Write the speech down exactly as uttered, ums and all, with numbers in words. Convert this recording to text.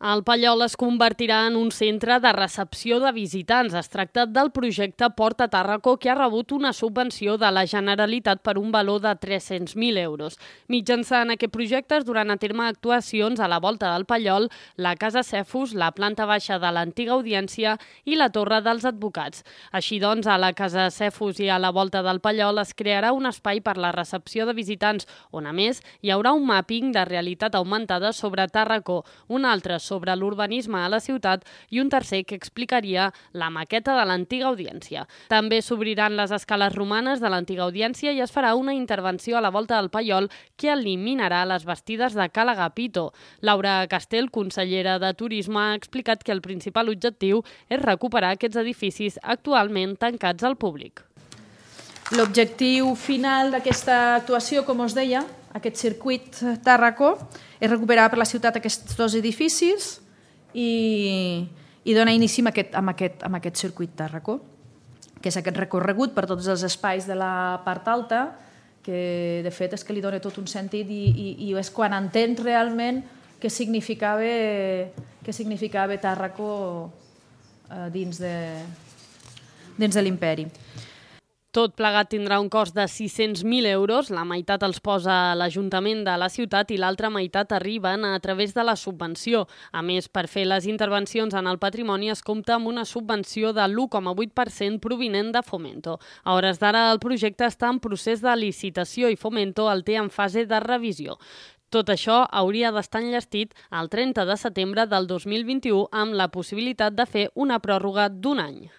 El Pallol es convertirà en un centre de recepció de visitants. Es tracta del projecte Port a Tàrraco, que ha rebut una subvenció de la Generalitat per un valor de tres-cents mil euros. Mitjançant aquest projecte es duran a terme actuacions a la volta del Pallol, la Casa Cefus, la planta baixa de l'antiga Audiència i la Torre dels Advocats. Així doncs, a la Casa Cefus i a la volta del Pallol es crearà un espai per la recepció de visitants, on a més hi haurà un màpping de realitat augmentada sobre Tàrraco, un altre sobre sobre l'urbanisme a la ciutat i un tercer que explicaria la maqueta de l'antiga Audiència. També s'obriran les escales romanes de l'antiga Audiència i es farà una intervenció a la volta del Pallol que eliminarà les bastides de Cala Agapito. Laura Castell, consellera de Turisme, ha explicat que el principal objectiu és recuperar aquests edificis actualment tancats al públic. L'objectiu final d'aquesta actuació, com us deia, aquest circuit Tàrraco, és recuperar per la ciutat aquests dos edificis i, i donar inici amb aquest, amb, aquest, amb aquest circuit Tàrraco, que és aquest recorregut per tots els espais de la part alta, que de fet és que li dona tot un sentit i, i, i és quan entens realment què significava, què significava Tàrraco eh, dins de, dins de l'imperi. Tot plegat tindrà un cost de sis-cents mil euros, la meitat els posa l'Ajuntament de la ciutat i l'altra meitat arriben a través de la subvenció. A més, per fer les intervencions en el patrimoni es compta amb una subvenció de l'u coma vuit per cent provinent de Fomento. A hores d'ara el projecte està en procés de licitació i Fomento el té en fase de revisió. Tot això hauria d'estar enllestit el trenta de setembre del dos mil vint-i-u amb la possibilitat de fer una pròrroga d'un any.